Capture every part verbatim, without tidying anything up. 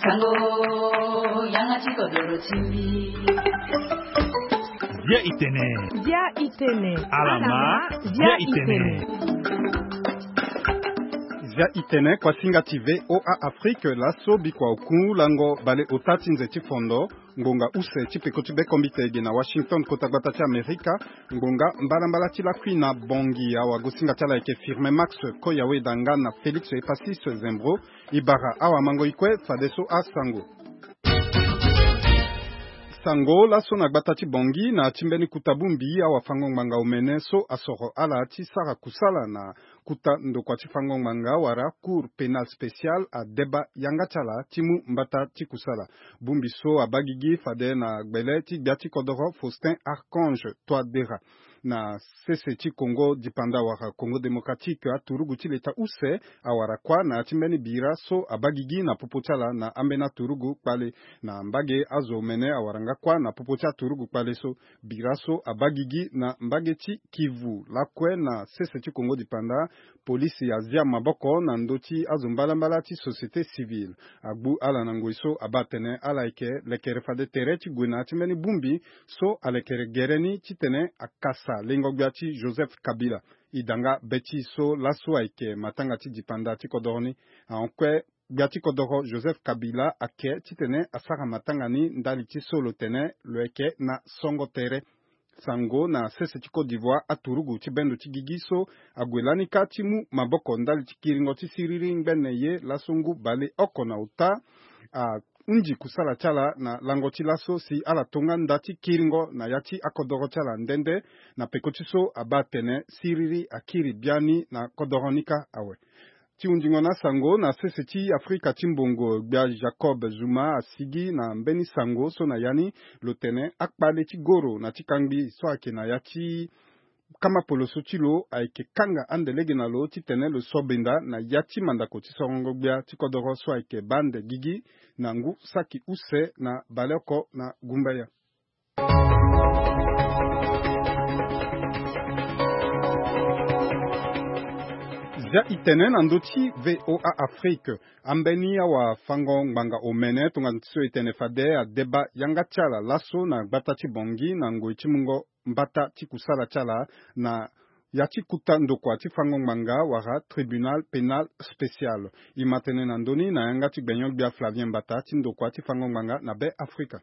Sango, yanga ti kodoro ti mbi. Bia itene. Bia itene. Alama. Bia itene. Bia itene, kuasinga ti V O A Afrique, laso bikua oku lango bale ota ti nze ti fondo. Ngonga use ti peko ti bekombite ege na Washington, kota gbata ti Amerika. Ngonga mbalambala ti lakui na Bangui, awagosinga ti ala ayeke Firmin Max Koyawe Danga na Félix Epasis Zembro. E bara awamango e kue fadeso asango. Sango laso na gbata ti Bangui na ti mbeni kuta bongbi, awafango ngbanga omene so asoro ala ti sara kusala na kuta ndokua ti fango ngbanga wala Cour pénale spéciale adeba yanga ti ala ti mu mbata ti kusala. Bongbi so abaa gigi fade na gbele ti gbia ti kodoro Faustin Archange Touadéra. Na sese ti Congo dipanda wala Congo démocratique, aturugu ti leta use awara kuâ na ya ti mbeni bira so abaa gigi na popo ti ala na ambeni aturugu kpale. Na mbage azo omene awara nga kuâ na popo ti aturugu kpale so. Bira so abaa gigi na mbage ti Kivu lakue na sese ti Congo dipanda, polisi azia maboko na ndö ti azo mbalambala ti société civile. Agbu ala na ngoi so abaa atene ala yeke lekere fade tere ti gue na ya ti mbeni bongbi so alekere gere ni titene akasa lengo-gbia ti Joseph Kabila. E da nga be ti e so laso ayeke matanga ti dipanda ti kodoro ni. Ahon kue, gbia ti kodoro Joseph Kabila ake titene asara matanga ni ndali ti so lo tene lo yeke na songo tere. Sango na sese ti Côte d'Ivoire, aturugu ti bendo ti gigi so ague lani kâ ti mu maboko ndali ti kiringo ti siriri ngbene ye laso ngu baleoko na ota ahunzi kusala ti ala na lango ti laso si ala to nga nda ti kiringo na ya ti akodoro ti ala nde nde. Na peko ti so abaa atene siriri akiri biani na kodoro ni kâ awe. Ti hundingo na asango na sese ti Afrika ti mbongo, gbia Jacob Zuma asigi na mbeni sango so na ya ni lo tene akpale ti goro na ti kangbi so ayeke na ya ti kama poloso ti lo ayeke kanga ande lege na lo titene lo sobenda na ya ti mandako ti sorongo gbia ti kodoro so ayeke baa ande gigi na ngu saki use na baleoko na gumbaya. Zia e tene na ndö ti V O A Afrique, ambeni awafango ngbanga omene tongana ti so e tene fade adeba yanga ti ala laso na gbata ti Bangui na ngoi ti mungo mbata ti kusala ti ala na ya ti kuta ndokua ti fango ngbanga wala Tribunal Pénal Spécial. E ma tene na ndö ni na yanga ti gbenyo-gbia Flavien Mbata ti ndokua ti fango ngbanga na Be Afrika.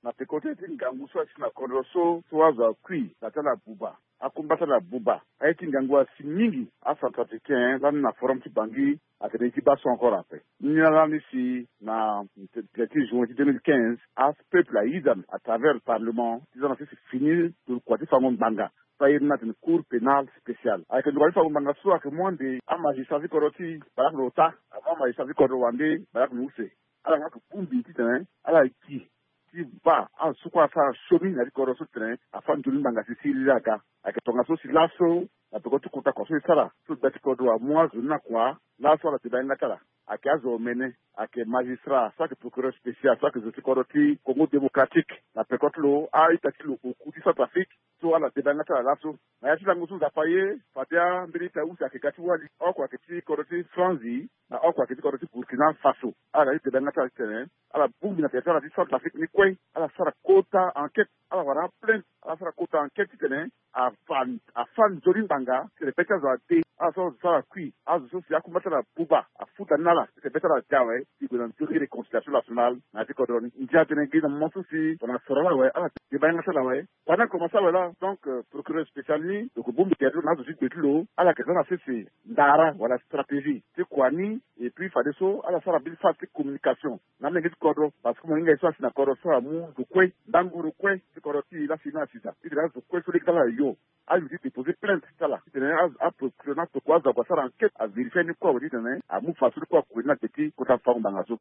Na peko ti aye ti ngangu so asi na kodro so, so azo akui na ti ala buba, akumba ti ala buba. Aye ti ngangu asi mingi. Acentrafricain lani na forum ti Bangui atene e ti baa so encore ape. Ni lani si na treize juin ti deux mille quinze, apeuple ayiza à travers le parlement ti za na sese fini ndokua ti fango ngbanga so airi ni atene Cour Pénale Spéciale. Ayeke ndokua ti fango ngbanga so ayeke mu ande amagistrat ti kodro ti baleoko na ota, amu amagistrat ti kodro wande baleoko na use. Ala nga ake bongbi titene ala gi ti baa azo so kue asara siomi na ya ti kodro so titene afâ nzoni ngbanga si siriri aga. Ayeke tongaso si laso na peko ti kota kua so e sara so gbia ti kodro amu azo ni na kua, laso ala deba yanga ti ala. Ayeke azo omene, ayeke magistrat so ayeke procureur spécial so ayeke zo ti kodro ti Congo Démocratique na peko ti lo a-ita ti lo oku ti Centrafrique. So ala deba yanga ti ala laso na ya ti lango so Nzapa aye, fade ambeni ita use ayeke ga ti wali, oko ayeke ti kodro ti Franzi na oko ayeke ti kodro ti Burkina Faso. Ala ga ti deba yanga ti ala titene ala bongbi na tere ti ala ti Centrafrique ni kue, ala sara kota enquête, ala wara aplainte, ala sara kota enquête titene afâ, afâ nzoni ngbanga titene be ti azo ade. Ala so azo so ala kui, azo so si akumba ti ala buba, afuta ni na ala titene be ti ala ade awe, ti gue na nzoni réconciliation nationale na ya ti kodro ni. Ndia atene gi na moment so si tongana soro ala awe, ala deba yanga ti ala awe. Pendant que e komanse awe laa, donc, euh, procureur spécial ni lo yeke bongbi tere ti lo na azo ti gbe ti lo, ala yeke za na sese ndara wala stratégie ti kua ni. Et puis fadeso ala sara mbeni phase ti communication na amolenge ti kodro, parce que molenge so asi na kodro so amu zo kue, ndangu zo kue ti kodro ti e laa si ni asi daa titene azo kue so lege ti ala yo, ayo ti déposer plainte ti ala titene a, a procureur na tokua azo ague asara enquête, avérifier ni kue awe titene amu fadeso ni kue akue ni na gbe ti kota fango ngbanga so.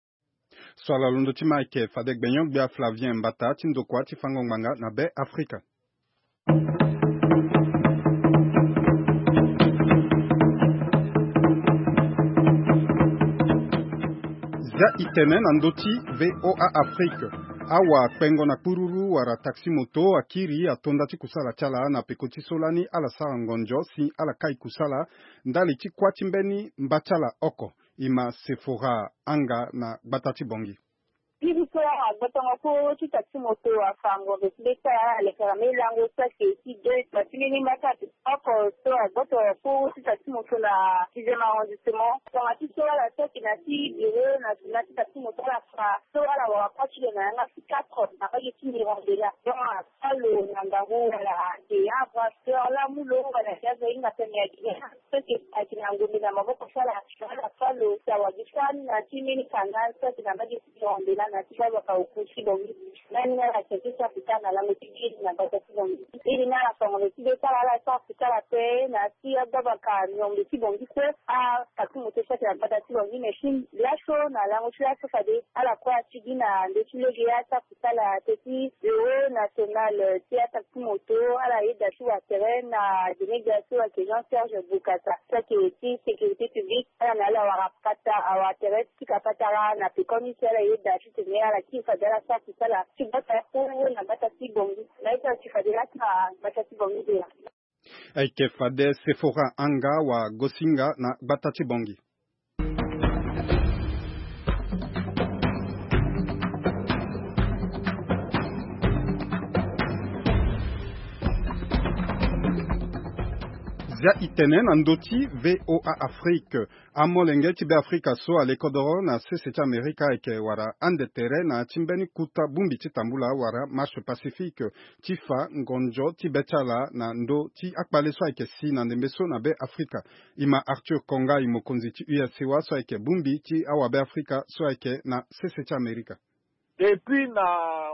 So ala londo ti ma ayeke fade gbenyo-gbia Flavien Mbata ti ndokua ti fango ngbanga na Be Afrika. Zia e tene na ndö ti V O A Afrique. Awakpengo na kpururu wala taxi moto akiri atonda ti kusala ti ala na peko ti so lani ala sara ngonzo si ala kai kusala ndali ti kuâ ti mbeni mba ti ala oko. Ima Sephora Anga na gbata ti Bangui. Bibi so agbatango koro ti taxi moto afa ngonzo ti be ti ala, ala lekera mbeni lango so ayeke ti deux toi ti mbeni mbata ati oko so agbatango koro ti taxi moto na dixième arrondissement. Tongana ti so ala so ayeke na ti bureau national ti taxi moto ala fa so ala wara kua ti lo na yanga ti quatre na mbage ti Mirambela. Donc afa lo na ngangu wala ayeke ya brasseur lamu lo wala ti azo ahinga tene ya Guinée. Soki ayeke na ngombe na maboko so ala ala fa lo si awagi so ani na ti mbeni kanga so ayeke na mbage ti Mirambela na ti Babaka Oku ti Bangui. Nani na ala tene ti sa fika na lango ti giri na gbata ti Bangui. Iri na ala fa ngonzo ti be ti ala, ala sa fika ala pe na ti agbabaka miombe ti Bangui kue. Ataxi moto so ayeke na gbata ti Bangui mais si laso na lango ti laso fade ala kue atigi na ndö ti lege ya ti akusala teti bureau national ti ataxi moto ala yeda ti wa tere na delega so ayeke Jean Serge Bokassa so ayeke ti sécurité publique. Ala na ala wara pata awa tere ti pika patara na pekoni si ala yeda ti tene ala kiri fade ala sara kusala ti gbata kuru na gbata ti Bangui. Na ye ti ala ti fade laa ti na gbata ti Bangui de laa. Ayeke fade Sephora Anga wa Gosinga na gbata ti Bangui. Zia itene na ndö ti V O A Afrique. Amolenge ti Beafrika so ale kodoro na sese ti Amerika ayeke wara ande tere na ya ti mbeni kota bongbi ti tambula wala marche pacifique ti fa ngonzo ti be ti ala na ndö ti akpale so ayeke si na ndembe so na Beafrika. Ima Arthur Kongai, mokonzi ti U S C O A so ayeke bongbi ti awabeafrika so ayeke na sese ti Amerika. Depuis na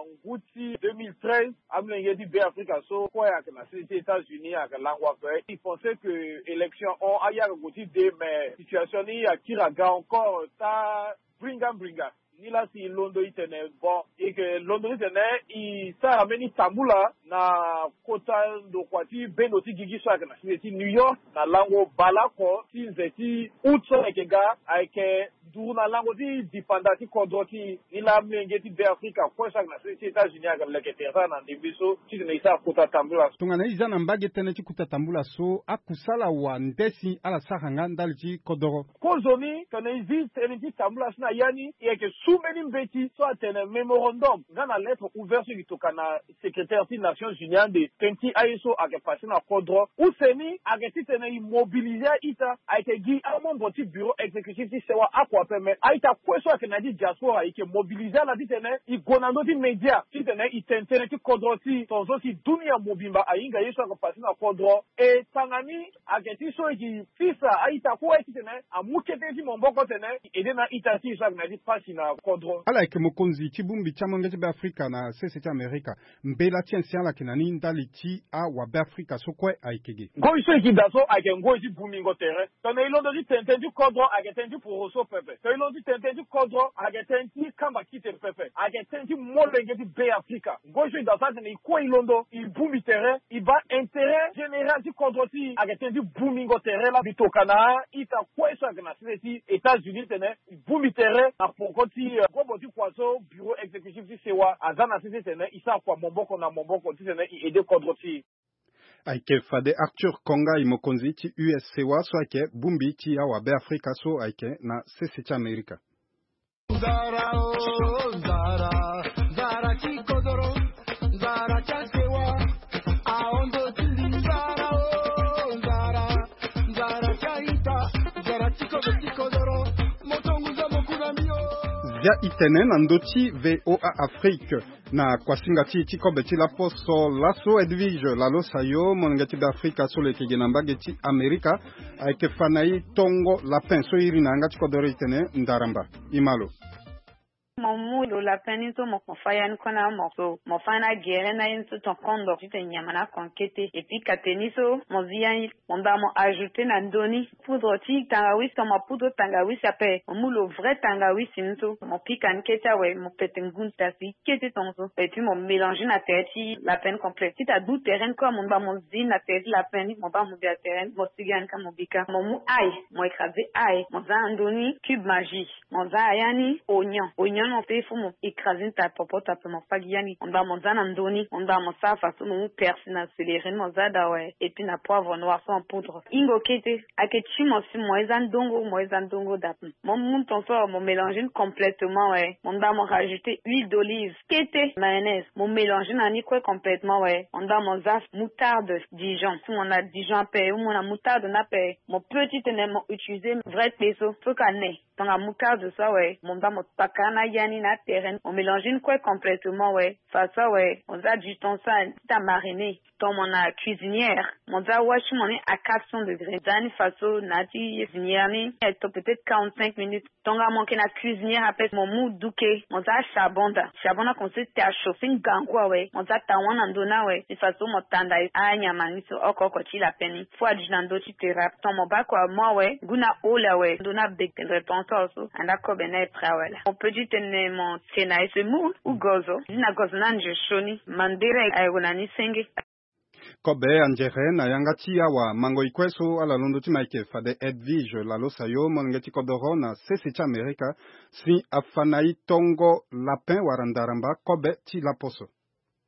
ngu ti deux mille treize, amolenge ti Beafrika so kue ayeke na sese ti États-Unis ayeke lango ape. I pense que élection hon aye ayeke gue ti de, mais situation ni akiri aga encore taa mbringa mbringa. Nilaa si i londo i tene bon, i yeke londo ti tene i sara mbeni tambula na kota ndokua ti bendo ti gigi so ayeke na sese ti New York na lango baleoko ti nze ti août so ayeke ga, ayeke nduru na lango ti dipanda ti kodro ti e. Nilaa amolenge ti Beafrika kue so ayeke na sese ti États-Unis ayeke leke tere so ayeke na ndembe so titene e sara kota tambula so. Tongana e za na mbage tënë ti kota tambula so, akusala wa nde si ala sara nga ndali ti kodoro? Kozoni tene e zi tënë ti tambula so na ya ni, e yeke su mbeni mbeti so atene mémorandum nga na lettre ouverte so e yeke tokua na secrétaire ti Nations Unies ande tënë ti aye so ayeke pase na kodro. Use ni ayeke titene e mobiliser a-ita, ayeke gi amembre ti bureau exécutif ti C E O A oko ape, me a-ita kue so ayeke na ya ti diaspora e yeke mobiliser ala titene e gue na ndö ti média titene e tene tënë ti kodro ti e tongaso si dunia mobimba ahinga ye so ayeke pase na kodro. E tanga ni ayeke ti so e yeke sisa a-ita kue titene amu kete ti maboko titene e aidé na a-ita ti e so ayeke na ya ti pasi na kodro. Ala yeke mokonzi ti bongbi ti amolenge ti Beafrika na sese ti Amerika. Mbela ti ancien ala yeke na ni ndali ti awabeafrika so kue ayeke ge? Ngoi so e yeke daa so ayeke ngoi ti bungbingo tere. Tongana e londo ti tene tënë ti kodro ayeke tënë ti poroso pepe. Tongana e londo ti tene tënë ti kodro ayeke tënë ti kamba kite pepe. Ayeke tënë ti molenge ti Beafrika. Ngoi so e daa so atene e kue e londo e bongbi tere, e baa intérêt général ti kodro ti e ayeke tënë ti bungbingo tere laa. Mbi tokua na a-ita kue so ayeke na sese ti États-Unis tene e bongbi tere na poko ti, eh, gobo ti kua so bureau exécutif ti C E O A aza na sese titene e sara kua maboko na maboko titene e aidé kodro ti e. Ayeke fade Arthur Kongai, mokonzi ti U S C O A so ayeke bongbi ti awabeafrika so ayeke na sese ti Amerika. Nzara o, nzara, nzara ti kodoro, nzara ti asewa, ahon ndo ti mbi. Nzara o, nzara, nzara ti a-ita, nzara ti kodro ti kodoro, mo tonguza mo ku na mbi o. Zia itene na ndö ti V O A Afrique. Na kuasinga ti e ti kobe ti laposo laso, Edwige Lalosayo, molenge ti Beafrika so lo yeke gi na mbage ti Amerika, ayeke fa na e tongo lapin so e iri na yanga ti kodoro e tene ndaramba. E ma lo. Mo mu lo lapin ni so mo, mo fa ya ni kue na mo so, mo fa na gere na ye ni so ton kondor titene nyama na akon kete. Et puis kate ni so mo zi ya ni, mo baa mo ajouter na ndö ni poudre ti tangawisi, tongana poudre tangawisi ape, mo mu lo vrai tangawisi ni so, mo pika ni kete awe, mo pete ngu ni ta si kete tongaso. Et puis mo mélanger na tere ti lapin ni complet. Ti ta du tere ni kue, mo baa mo zi na tere ti lapin ni, mo baa mo bia tere ni, mo siga ni ka mo bika. Mo mu ail, mo écraser ail, mo za na ndö ni cube Maggi, mo za na ya ni oignon. Oignon Mo te fo mo écraser ni ta popo ta pe mo fa gi yani. Mo nda mo za na ndoni, mo nda mo sara faso mo mu persi na céleri ni mo za da we, et puis na poivre noir so en poudre. Ingo kete, ake ti mo si mo eza ndongo, mo eza ndongo da pe. Mo mu ton so mo mélanger ni complètement we. Mo nda mo rajouter huile d'olive, kete mayonnaise, mo mélanger na ni kue complètement we. Mo nda mo za moutarde Dijon, si mo na Dijon ape, ou mo na moutarde ni ape, mo peut ti tene mo utiliser vrai kpe so, so ka ne. Tongana moutarde so awe, mo nda mo paka na yani na tere, mo mélanger ni kue complètement we. Faso awe, mo za du thon so ti ta mariner. Ton mo na cuisinière, mo za wasi mo ni à quatre cents degrés. Za ni faso na ti cuisinière ni, eh, to peut-être quarante-cinq minutes. Tongana mo yeke na cuisinière ape, mo mu duke, mo za charbon da. Charbon ni akonse ti ta chauffer ngangu awe. Mo za ta wan na ndö ni awe. Ni faso mo tanda anyama ni so oko oko ti lapin ni. Fo adi na ndö ti tere ape. Ton mo baa kua mo awe, ngu na ole awe. Ndö ni abeke tendre tonso so. Anda kobe ni aye prêt awe laa. Mo peut ti tene mo tie na ye semoule ou gozo. Ni na gozo ni anze sioni. Mandere aye gue na ni senge. Kobe anzere na yanga ti awa mango e kue so ala londo ti ma eke fade Edwige Lalosayo, molenge ti kodoro na sese ti Amerika, si afa na e tongo lapin wala ndaramba kobe ti laposo.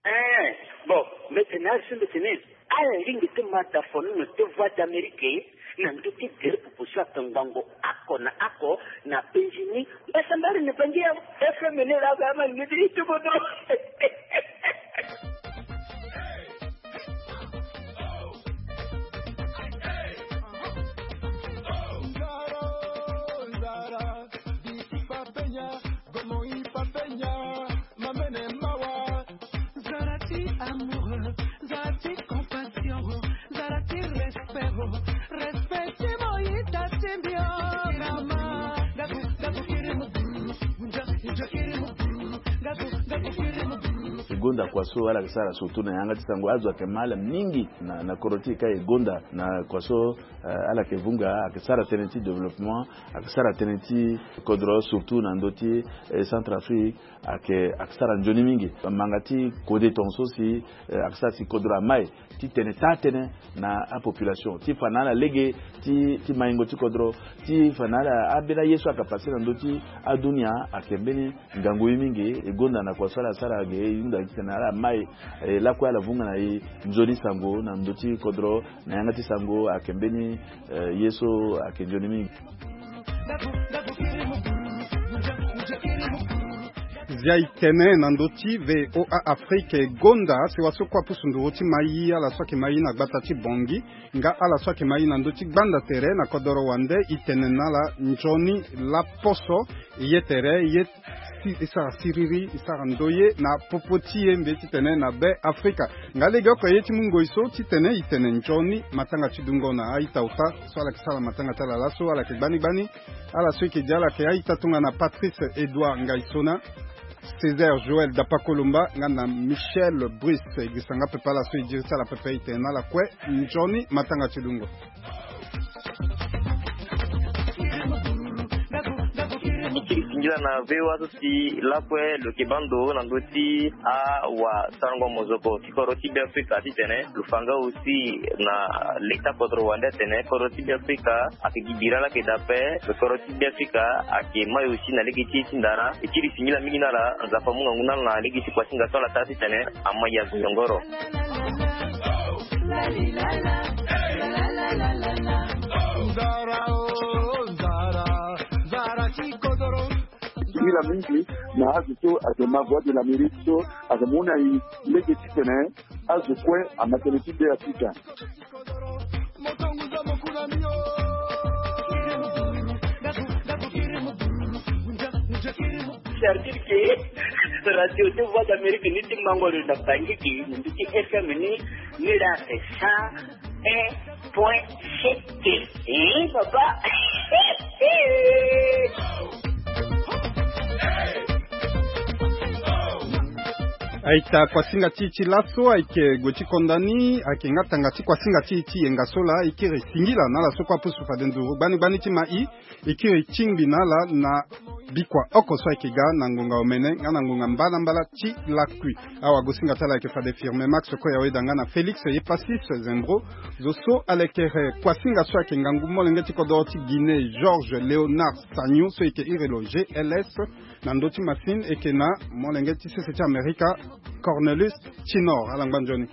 Eh, bon, mete na asu mete ni. Ala lingbi ti ma da fono na te Voix d'Amérique na ndö ti gere proposition ake ngango oko na oko na penzi ni. Mbasambala na bangi ya F M ni la ba ma ni ti tubodo. Zara ti amoureux, zara ti compassion, zara ti respect, respect ti mo yita ti mbio. Mama, gabu gabu kiri mu buru, gabu gabu kiri mu buru, gabu gabu kiri mu buru. E gonda kua so ala yeke sara surtout na yanga ti sango, azo ayeke ma ala mingi na, na kodro ti e ka e gonda na kua so, eh, ala yeke vunga, ayeke sara tënë ti développement, ayeke sara tënë ti kodro surtout na ndö ti, eh, Centrafrique. Ayeke, ayeke sara nzoni mingi. Manga ti kode tongaso si, eh, ayeke sara si kodro amai ti tene taa-tënë na apopulation ti fa na ala lege ti, ti maingo ti kodro, ti fa na ala ambeni aye so ayeke pase na ndö ti adunia. Ayeke mbeni ngangu ye mingi. E gonda na kua so ala sara ge, e hunda titene ala mai, eh, lakue ala vunga na e nzoni sango na ndö ti kodro. Na yanga ti sango ayeke mbeni, eh, ye so ayeke nzoni mingi. Zia e tene na ndö ti V O A Afrique e gonda sewa so kue apusu nduru ti mai ala so ayeke mai na gbata ti Bangui nga ala so ayeke mai na ndö ti gbanda tere na kodoro wande, e tene na ala nzoni laposo. Ye tere ye si, e sara siriri, e sara ndoye na popo ti e mbi ye titene na Be Afrika. Nga legeoko ye ti mu ngoi so titene e tene nzoni matanga ti dungo na a-ita ota so ala yeke sara matanga ti ala laso, ala yeke gbani gbani. Ala so e yeke di ala yeke a-ita tongana Patrice Edouard Ngaisona, Césaire Joël Dapakolomba nga na Michel Brice. E gisa nga pepe ala so e diri ti ala pepe, e tene na ala kue nzoni matanga ti dungo. E kiri singila na V O A so si lakue lo yeke baa ndo na ndö ti awasarango mozoko ti kodro ti Be Afrika titene lo fa nga aussi na leta kodro wande atene kodro ti Be Afrika ayeke gi bira laa ayeke daa ape. Lo kodro ti Be Afrika ayeke mai aussi na lege ti e ti ndara. E kiri singila mingi na ala, Nzapa amu ngangu na ala na lege ti kuasinga so ala taa titene amai azo yongoro. Nzara o nzara, nzara ti kodoro. Singila mingi na azo so ayeke ma Voix de l'Amérique so ayeke mu na e lege titene azo kue ama tënë ti Be Afrika. C'est-à-dire que radio ti Voix d'Amérique ni ti mango lo na Bangui, ni ti F M ni, ni la c'est cent un point sept. Eh, papa. A-ita kuasinga ti e ti laso ayeke gue ti konda ni, ayeke nga tanga ti kuasinga ti e ti yenga so laa. E kiri singila na ala so kue apusu fade nduru gbani gbani ti mai. E kiri tingbi na ala na bikua oko so ayeke ga na ngonga omene nga na ngonga mbalambala ti lakui. Awagosinga ti ala ayeke fade firme max koya weda nga na félix ye passis zembro. Zo so alekere kuasinga so ayeke ngangu molenge ti kodoro ti guinée georges léonard sagno so eke iri lo gls na ndö ti masine eke na molenge ti sese ti amerika cornelius tinor alangba nzoni.